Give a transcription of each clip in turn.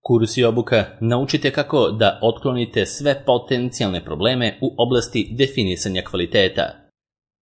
Kurs i obuka naučite kako da otklonite sve potencijalne probleme u oblasti definisanja kvaliteta.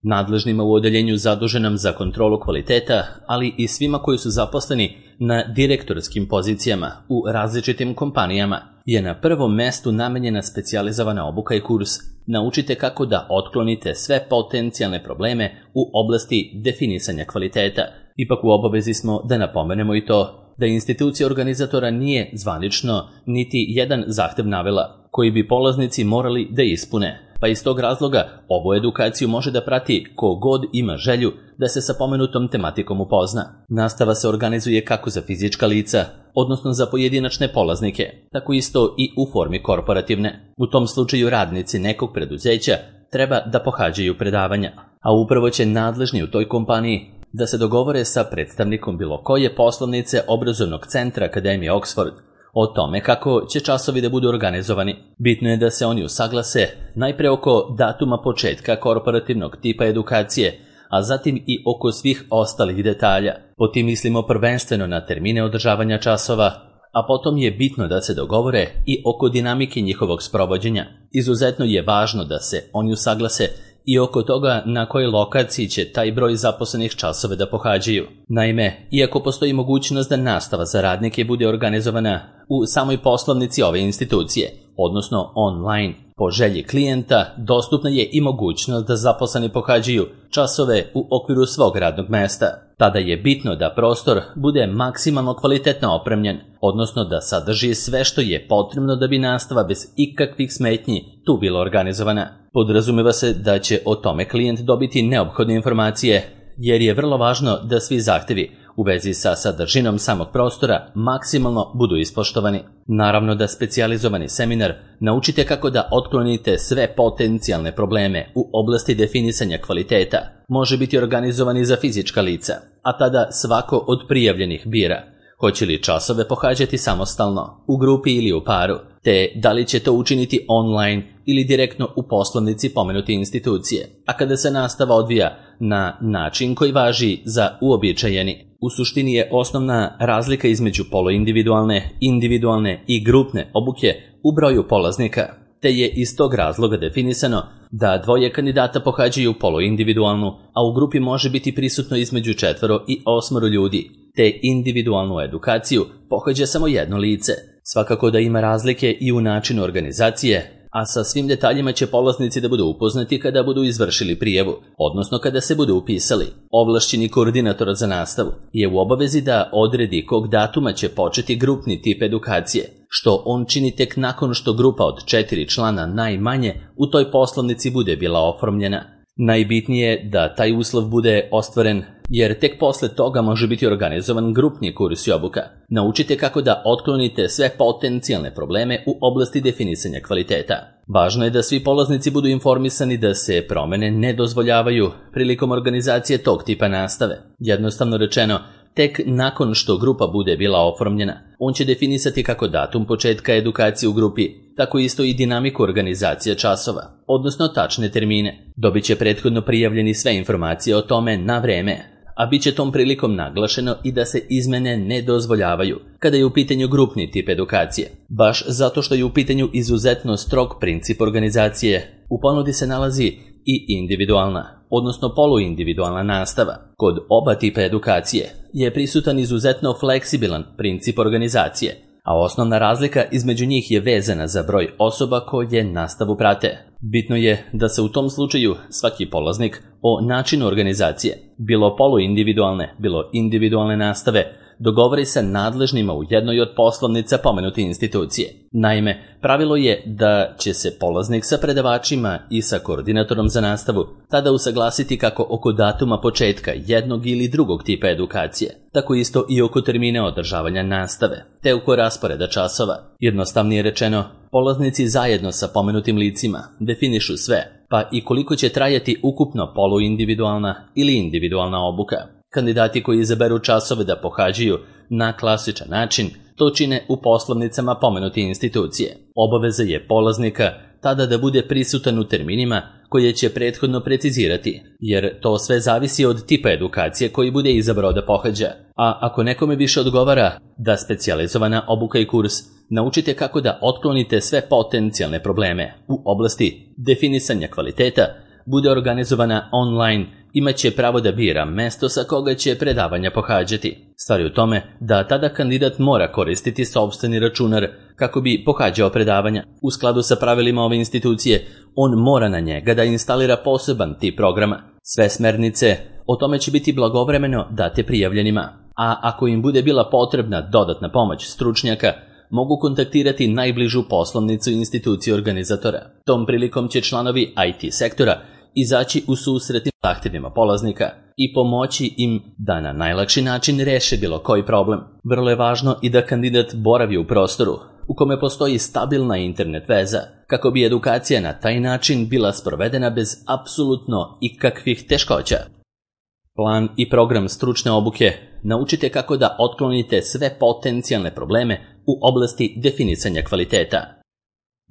Nadležnima u odeljenju zaduženom za kontrolu kvaliteta, ali i svima koji su zaposleni na direktorskim pozicijama u različitim kompanijama, je na prvom mestu namenjena specijalizovana obuka i kurs. Naučite kako da otklonite sve potencijalne probleme u oblasti definisanja kvaliteta. Ipak u obavezi smo da napomenemo i to da institucija organizatora nije zvanično niti jedan zahtev navela koji bi polaznici morali da ispune, pa iz tog razloga ovu edukaciju može da prati ko god ima želju da se sa pomenutom tematikom upozna. Nastava se organizuje kako za fizička lica, odnosno za pojedinačne polaznike, tako isto i u formi korporativne. U tom slučaju radnici nekog preduzeća treba da pohađaju predavanja, a upravo će nadležni u toj kompaniji da se dogovore sa predstavnikom bilo koje poslovnice obrazovnog centra Akademije Oxford o tome kako će časovi da budu organizovani. Bitno je da se oni usaglase najpre oko datuma početka korporativnog tipa edukacije, a zatim i oko svih ostalih detalja. Po tim mislimo prvenstveno na termine održavanja časova, a potom je bitno da se dogovore i oko dinamike njihovog sprovođenja. Izuzetno je važno da se oni usaglase i oko toga na kojoj lokaciji će taj broj zaposlenih časove da pohađaju. Naime, iako postoji mogućnost da nastava za radnike bude organizovana u samoj poslovnici ove institucije, odnosno online, po želji klijenta, dostupna je i mogućnost da zaposleni pohađaju časove u okviru svog radnog mesta. Tada je bitno da prostor bude maksimalno kvalitetno opremljen, odnosno da sadrži sve što je potrebno da bi nastava bez ikakvih smetnji tu bila organizovana. Podrazumeva se da će o tome klijent dobiti neophodne informacije, jer je vrlo važno da svi zahtevi u vezi sa sadržinom samog prostora maksimalno budu ispoštovani. Naravno da specijalizovani seminar naučite kako da otklonite sve potencijalne probleme u oblasti definisanja kvaliteta može biti organizovan i za fizička lica, a tada svako od prijavljenih bira hoće li časove pohađati samostalno, u grupi ili u paru, te da li će to učiniti online ili direktno u poslovnici pomenute institucije, a kada se nastava odvija na način koji važi za uobičajeni. U suštini je osnovna razlika između poluindividualne, individualne i grupne obuke u broju polaznika, te je iz tog razloga definisano da dvoje kandidata pohađaju poluindividualnu, a u grupi može biti prisutno između 4 i 8 ljudi, te individualnu edukaciju pohađa samo jedno lice. Svakako da ima razlike i u načinu organizacije, a sa svim detaljima će polaznici da budu upoznati kada budu izvršili prijavu, odnosno kada se budu upisali. Ovlašćeni koordinator za nastavu je u obavezi da odredi kog datuma će početi grupni tip edukacije, što on čini tek nakon što grupa od 4 člana najmanje u toj poslovnici bude bila oformljena. Najbitnije je da taj uslov bude ostvaren, jer tek posle toga može biti organizovan grupni kurs i obuka. Naučite kako da otklonite sve potencijalne probleme u oblasti definisanja kvaliteta. Važno je da svi polaznici budu informisani da se promene ne dozvoljavaju prilikom organizacije tog tipa nastave. Jednostavno rečeno, tek nakon što grupa bude bila oformljena, on će definisati kako datum početka edukacije u grupi, tako isto i dinamiku organizacije časova, odnosno tačne termine. Dobit će prethodno prijavljeni sve informacije o tome na vreme, a bit će tom prilikom naglašeno i da se izmene ne dozvoljavaju kada je u pitanju grupni tip edukacije. Baš zato što je u pitanju izuzetno strog princip organizacije, u ponudi se nalazi i individualna, odnosno poluindividualna nastava. Kod oba tipa edukacije je prisutan izuzetno fleksibilan princip organizacije, a osnovna razlika između njih je vezana za broj osoba koje nastavu prate. Bitno je da se u tom slučaju svaki polaznik o načinu organizacije, bilo poluindividualne, bilo individualne nastave, dogovori sa nadležnima u jednoj od poslovnica pomenute institucije. Naime, pravilo je da će se polaznik sa predavačima i sa koordinatorom za nastavu tada usaglasiti kako oko datuma početka jednog ili drugog tipa edukacije, tako isto i oko termina održavanja nastave, te oko rasporeda časova. Jednostavnije rečeno, polaznici zajedno sa pomenutim licima definišu sve, pa i koliko će trajati ukupno poluindividualna ili individualna obuka. Kandidati koji izaberu časove da pohađaju na klasičan način, to čine u poslovnicama pomenute institucije. Obaveza je polaznika tada da bude prisutan u terminima koje će prethodno precizirati, jer to sve zavisi od tipa edukacije koji bude izabrao da pohađa. A ako nekome više odgovara da specijalizovana obuka i kurs naučite kako da otklonite sve potencijalne probleme u oblasti definisanja kvaliteta bude organizovana online, imaće pravo da bira mesto sa koga će predavanja pohađati. Stvar je u tome da tada kandidat mora koristiti sopstveni računar kako bi pohađao predavanja. U skladu sa pravilima ove institucije, on mora na njega da instalira poseban tip programa. Sve smernice o tome će biti blagovremeno date prijavljenima, a ako im bude bila potrebna dodatna pomoć stručnjaka, mogu kontaktirati najbližu poslovnicu institucije organizatora. Tom prilikom će članovi IT sektora izaći u susret zahtjevima polaznika i pomoći im da na najlakši način reše bilo koji problem. Vrlo je važno i da kandidat boravi u prostoru u kome postoji stabilna internet veza, kako bi edukacija na taj način bila sprovedena bez apsolutno ikakvih teškoća. Plan i program stručne obuke naučite kako da otklonite sve potencijalne probleme u oblasti definisanja kvaliteta.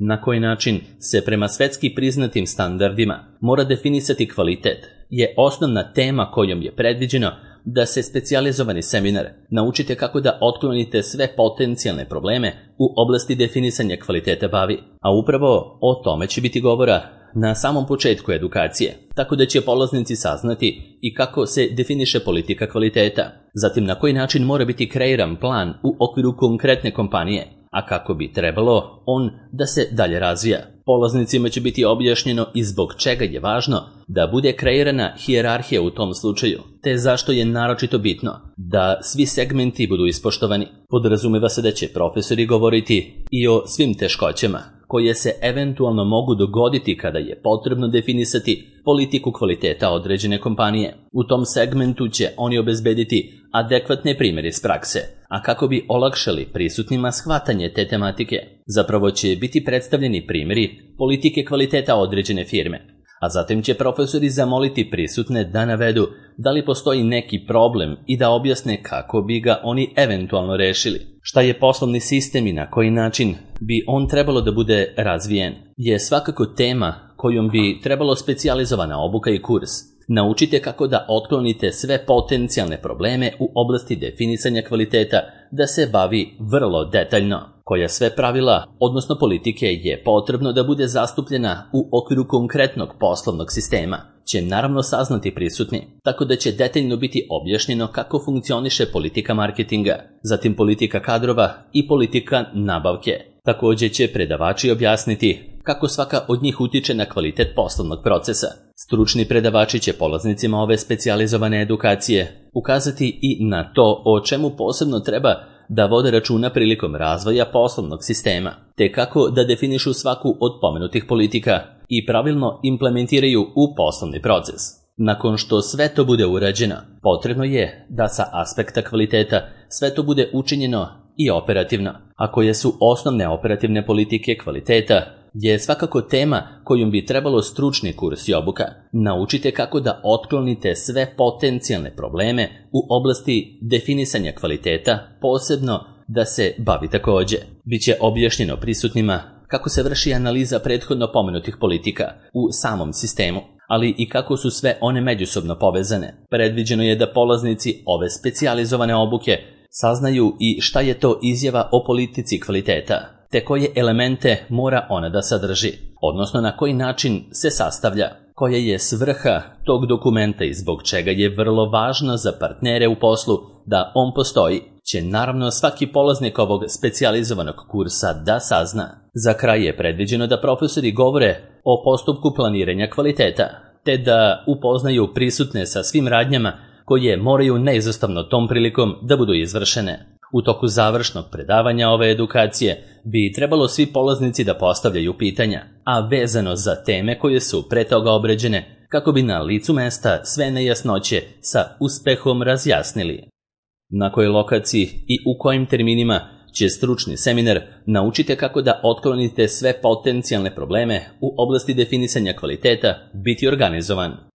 Na koji način se prema svetski priznatim standardima mora definisati kvalitet je osnovna tema kojom je predviđeno da se specijalizovani seminar naučite kako da otklonite sve potencijalne probleme u oblasti definisanja kvaliteta bavi, a upravo o tome će biti govora na samom početku edukacije, tako da će polaznici saznati i kako se definiše politika kvaliteta, zatim na koji način mora biti kreiran plan u okviru konkretne kompanije, a kako bi trebalo on da se dalje razvija. Polaznicima će biti objašnjeno i zbog čega je važno da bude kreirana hijerarhija u tom slučaju, te zašto je naročito bitno da svi segmenti budu ispoštovani. Podrazumeva se da će profesori govoriti i o svim teškoćama koje se eventualno mogu dogoditi kada je potrebno definisati politiku kvaliteta određene kompanije. U tom segmentu će oni obezbediti adekvatne primjere iz prakse, a kako bi olakšali prisutnima shvatanje te tematike, zapravo će biti predstavljeni primjeri politike kvaliteta određene firme, a zatim će profesori zamoliti prisutne da navedu da li postoji neki problem i da objasne kako bi ga oni eventualno rešili. Šta je poslovni sistem i na koji način bi on trebalo da bude razvijen je svakako tema kojom bi trebalo specijalizovana obuka i kurs. Naučite kako da otklonite sve potencijalne probleme u oblasti definisanja kvaliteta, da se bavi vrlo detaljno. Koja sve pravila, odnosno politike, je potrebno da bude zastupljena u okviru konkretnog poslovnog sistema, će naravno saznati prisutni, tako da će detaljno biti objašnjeno kako funkcioniše politika marketinga, zatim politika kadrova i politika nabavke. Također će predavači objasniti kako svaka od njih utiče na kvalitet poslovnog procesa. Stručni predavači će polaznicima ove specijalizovane edukacije ukazati i na to o čemu posebno treba da vode računa prilikom razvoja poslovnog sistema, te kako da definišu svaku od pomenutih politika i pravilno implementiraju u poslovni proces. Nakon što sve to bude urađeno, potrebno je da sa aspekta kvaliteta sve to bude učinjeno i operativno, a koje su osnovne operativne politike kvaliteta je svakako tema kojom bi trebalo stručni kurs i obuka. Naučite kako da otklonite sve potencijalne probleme u oblasti definisanja kvaliteta, posebno da se bavi također. Biće objašnjeno prisutnima kako se vrši analiza prethodno pomenutih politika u samom sistemu, ali i kako su sve one međusobno povezane. Predviđeno je da polaznici ove specijalizovane obuke saznaju i šta je to izjava o politici kvaliteta, te koje elemente mora ona da sadrži, odnosno na koji način se sastavlja, koja je svrha tog dokumenta i zbog čega je vrlo važno za partnere u poslu da on postoji, će naravno svaki polaznik ovog specijalizovanog kursa da sazna. Za kraj je predviđeno da profesori govore o postupku planiranja kvaliteta, te da upoznaju prisutne sa svim radnjama koje moraju neizostavno tom prilikom da budu izvršene. U toku završnog predavanja ove edukacije bi trebalo svi polaznici da postavljaju pitanja, a vezano za teme koje su pre toga obrađene, kako bi na licu mesta sve nejasnoće sa uspehom razjasnili. Na kojoj lokaciji i u kojim terminima će stručni seminar naučite kako da otklonite sve potencijalne probleme u oblasti definisanja kvaliteta biti organizovan.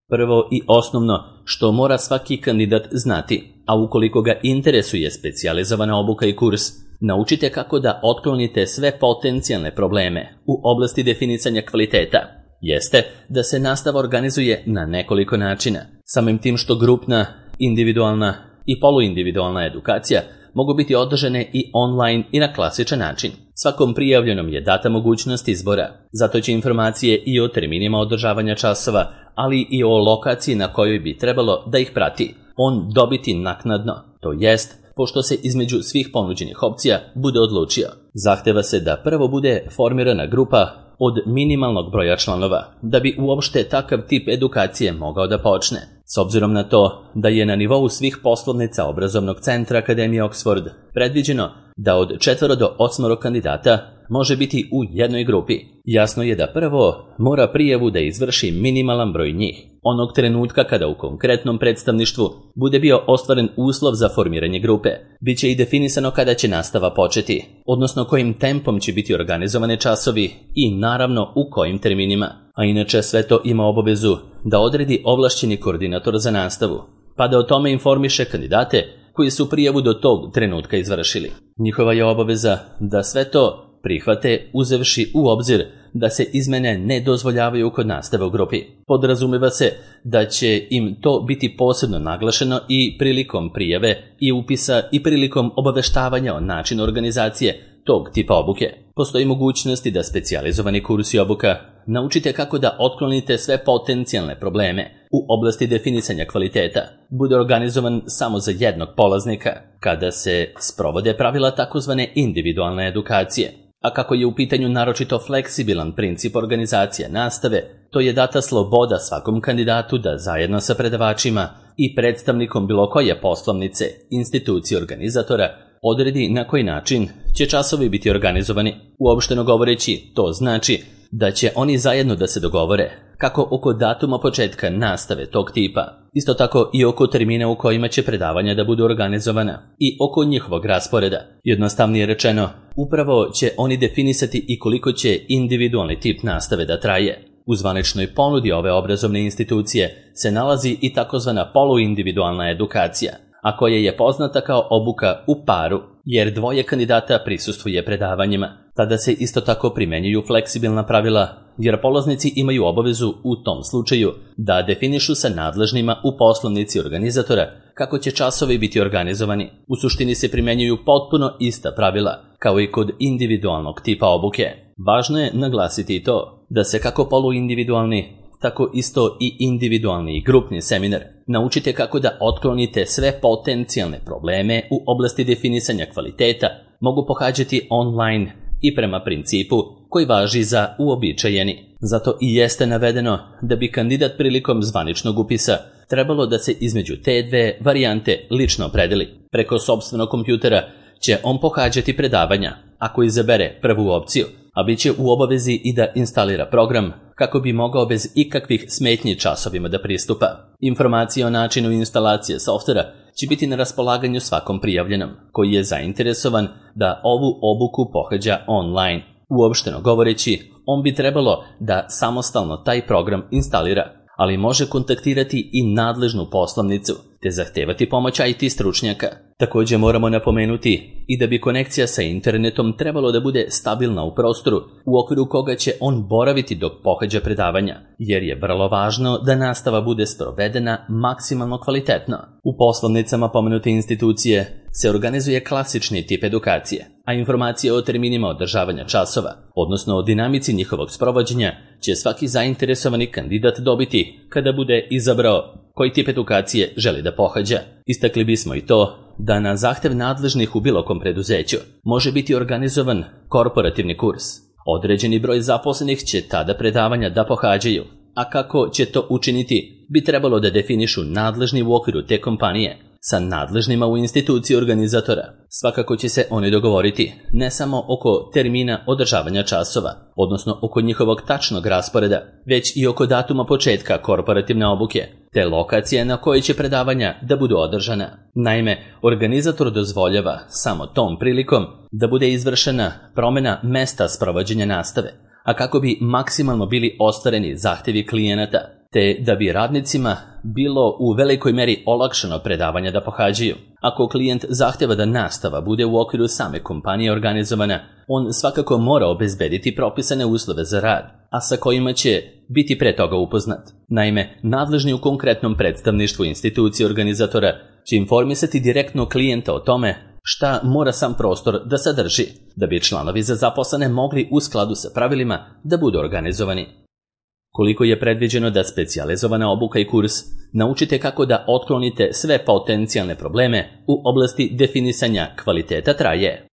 Prvo i osnovno što mora svaki kandidat znati, a ukoliko ga interesuje specijalizovana obuka i kurs, naučite kako da otklonite sve potencijalne probleme u oblasti definisanja kvaliteta, jeste da se nastava organizuje na nekoliko načina. Samim tim što grupna, individualna i poluindividualna edukacija mogu biti održane i online i na klasičan način. Svakom prijavljenom je data mogućnost izbora, zato će informacije i o terminima održavanja časova, ali i o lokaciji na kojoj bi trebalo da ih prati, on dobiti naknadno, to jest pošto se između svih ponuđenih opcija bude odlučio. Zahteva se da prvo bude formirana grupa od minimalnog broja članova, da bi uopšte takav tip edukacije mogao da počne. S obzirom na to da je na nivou svih poslovnica obrazovnog centra Akademije Oxford predviđeno da od 4 do 8 kandidata može biti u jednoj grupi, jasno je da prvo mora prijavu da izvrši minimalan broj njih. Onog trenutka kada u konkretnom predstavništvu bude bio ostvaren uslov za formiranje grupe, bit će i definisano kada će nastava početi, odnosno kojim tempom će biti organizovane časovi i naravno u kojim terminima. A inače sve to ima obavezu da odredi ovlašćeni koordinator za nastavu, pa da o tome informiše kandidate koji su prijavu do tog trenutka izvršili. Njihova je obaveza da sve to prihvate uzevši u obzir da se izmene ne dozvoljavaju kod nastave u grupi. Podrazumeva se da će im to biti posebno naglašeno i prilikom prijave i upisa i prilikom obaveštavanja o načinu organizacije tog tipa obuke. Postoji mogućnosti da specijalizovani kurs i obuka naučite kako da otklonite sve potencijalne probleme u oblasti definisanja kvaliteta, bude organizovan samo za jednog polaznika, kada se sprovode pravila takozvane individualne edukacije. A kako je u pitanju naročito fleksibilan princip organizacije nastave, to je data sloboda svakom kandidatu da zajedno sa predavačima i predstavnikom bilo koje poslovnice, institucije organizatora, odredi na koji način će časovi biti organizovani. Uopšteno govoreći, to znači da će oni zajedno da se dogovore kako oko datuma početka nastave tog tipa, isto tako i oko termina u kojima će predavanja da budu organizovana i oko njihovog rasporeda. Jednostavnije rečeno, upravo će oni definisati i koliko će individualni tip nastave da traje. U zvaničnoj ponudi ove obrazovne institucije se nalazi i takozvana poluindividualna edukacija, a koja je poznata kao obuka u paru, jer dvoje kandidata prisustvuje predavanjima. Tada se isto tako primenjuju fleksibilna pravila, jer polaznici imaju obavezu u tom slučaju da definišu sa nadležnima u poslovnici organizatora kako će časovi biti organizovani. U suštini se primenjuju potpuno ista pravila, kao i kod individualnog tipa obuke. Važno je naglasiti i to da se kako poluindividualni, tako isto i individualni i grupni seminar naučite kako da otklonite sve potencijalne probleme u oblasti definisanja kvaliteta mogu pohađati online i prema principu koji važi za uobičajeni. Zato i jeste navedeno da bi kandidat prilikom zvaničnog upisa trebalo da se između te dve varijante lično opredeli. Preko sopstvenog kompjutera će on pohađati predavanja ako izabere prvu opciju, a bit će u obavezi i da instalira program kako bi mogao bez ikakvih smetnji časovima da pristupa. Informacije o načinu instalacije softvera će biti na raspolaganju svakom prijavljenom koji je zainteresovan da ovu obuku pohađa online. Uopšteno govoreći, on bi trebalo da samostalno taj program instalira, ali može kontaktirati i nadležnu poslovnicu te zahtevati pomoć IT stručnjaka. Također moramo napomenuti i da bi konekcija sa internetom trebalo da bude stabilna u prostoru u okviru koga će on boraviti dok pohađa predavanja, jer je vrlo važno da nastava bude sprovedena maksimalno kvalitetno. U poslovnicama pomenute institucije se organizuje klasični tip edukacije, a informacije o terminima održavanja časova, odnosno o dinamici njihovog sprovođenja, će svaki zainteresovani kandidat dobiti kada bude izabrao koji tip edukacije želi da pohađa. Istakli bismo i to da na zahtev nadležnih u bilo kom preduzeću može biti organizovan korporativni kurs. Određeni broj zaposlenih će tada predavanja da pohađaju, a kako će to učiniti bi trebalo da definišu nadležni u okviru te kompanije sa nadležnima u instituciji organizatora. Svakako će se oni dogovoriti ne samo oko termina održavanja časova, odnosno oko njihovog tačnog rasporeda, već i oko datuma početka korporativne obuke, te lokacije na kojoj će predavanja da budu održana. Naime, organizator dozvoljava samo tom prilikom da bude izvršena promjena mesta sprovođenja nastave, a kako bi maksimalno bili ostvareni zahtjevi klijenata, te da bi radnicima bilo u velikoj meri olakšano predavanja da pohađaju. Ako klijent zahtjeva da nastava bude u okviru same kompanije organizovana, on svakako mora obezbediti propisane uslove za rad, a sa kojima će biti pre toga upoznat. Naime, nadležni u konkretnom predstavništvu institucije organizatora će informisati direktno klijenta o tome šta mora sam prostor da sadrži, da bi članovi za zaposlene mogli u skladu sa pravilima da budu organizovani. Koliko je predviđeno da specijalizovana obuka i kurs naučite kako da otklonite sve potencijalne probleme u oblasti definisanja kvaliteta traje.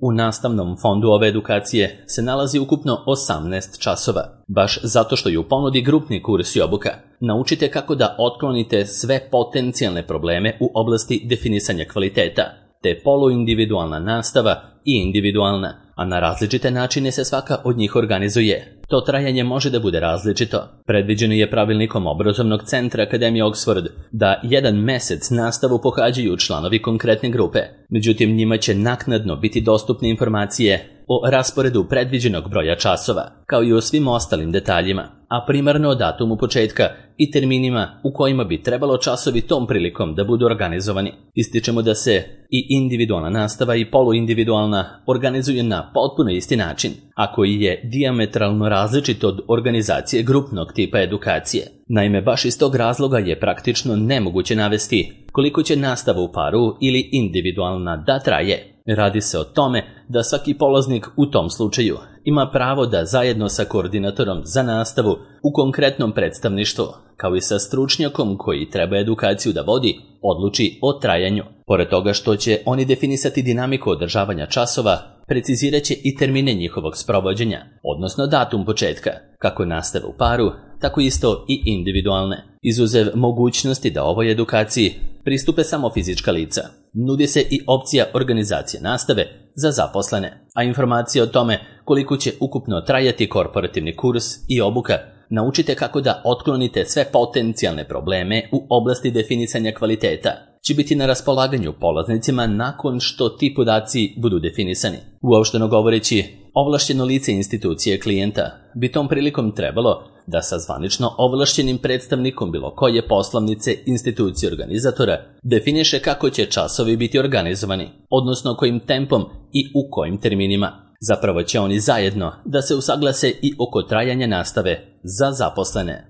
U nastavnom fondu ove edukacije se nalazi ukupno 18 časova, baš zato što je u ponudi grupni kurs i obuka. Naučite kako da otklonite sve potencijalne probleme u oblasti definisanja kvaliteta, te poluindividualna nastava i individualna, a na različite načine se svaka od njih organizuje. To trajanje može da bude različito. Predviđeno je pravilnikom obrazovnog centra Akademije Oxford da 1 mesec nastavu pohađaju članovi konkretne grupe. Međutim, njima će naknadno biti dostupne informacije o rasporedu predviđenog broja časova, kao i o svim ostalim detaljima, a primarno o datumu početka i terminima u kojima bi trebalo časovi tom prilikom da budu organizovani. Ističemo da se i individualna nastava i poluindividualna organizuje na potpuno isti način, a koji je dijametralno različit od organizacije grupnog tipa edukacije. Naime, baš iz tog razloga je praktično nemoguće navesti koliko će nastava u paru ili individualna da traje. Radi se o tome da svaki polaznik u tom slučaju ima pravo da zajedno sa koordinatorom za nastavu u konkretnom predstavništvu, kao i sa stručnjakom koji treba edukaciju da vodi, odluči o trajanju. Pored toga što će oni definisati dinamiku održavanja časova, precizirat će i termine njihovog sprovođenja, odnosno datum početka, kako nastave u paru, tako isto i individualne. Izuzev mogućnosti da ovoj edukaciji pristupe samo fizička lica, nudi se i opcija organizacije nastave za zaposlene, a informacije o tome koliko će ukupno trajati korporativni kurs i obuka naučite kako da otklonite sve potencijalne probleme u oblasti definisanja kvaliteta će biti na raspolaganju polaznicima nakon što ti podaci budu definisani. Uopšteno govoreći, ovlašćeno lice institucije klijenta bi tom prilikom trebalo da sa zvanično ovlašćenim predstavnikom bilo koje poslovnice institucije organizatora definiše kako će časovi biti organizovani, odnosno kojim tempom i u kojim terminima. Zapravo će oni zajedno da se usaglase i oko trajanja nastave za zaposlene.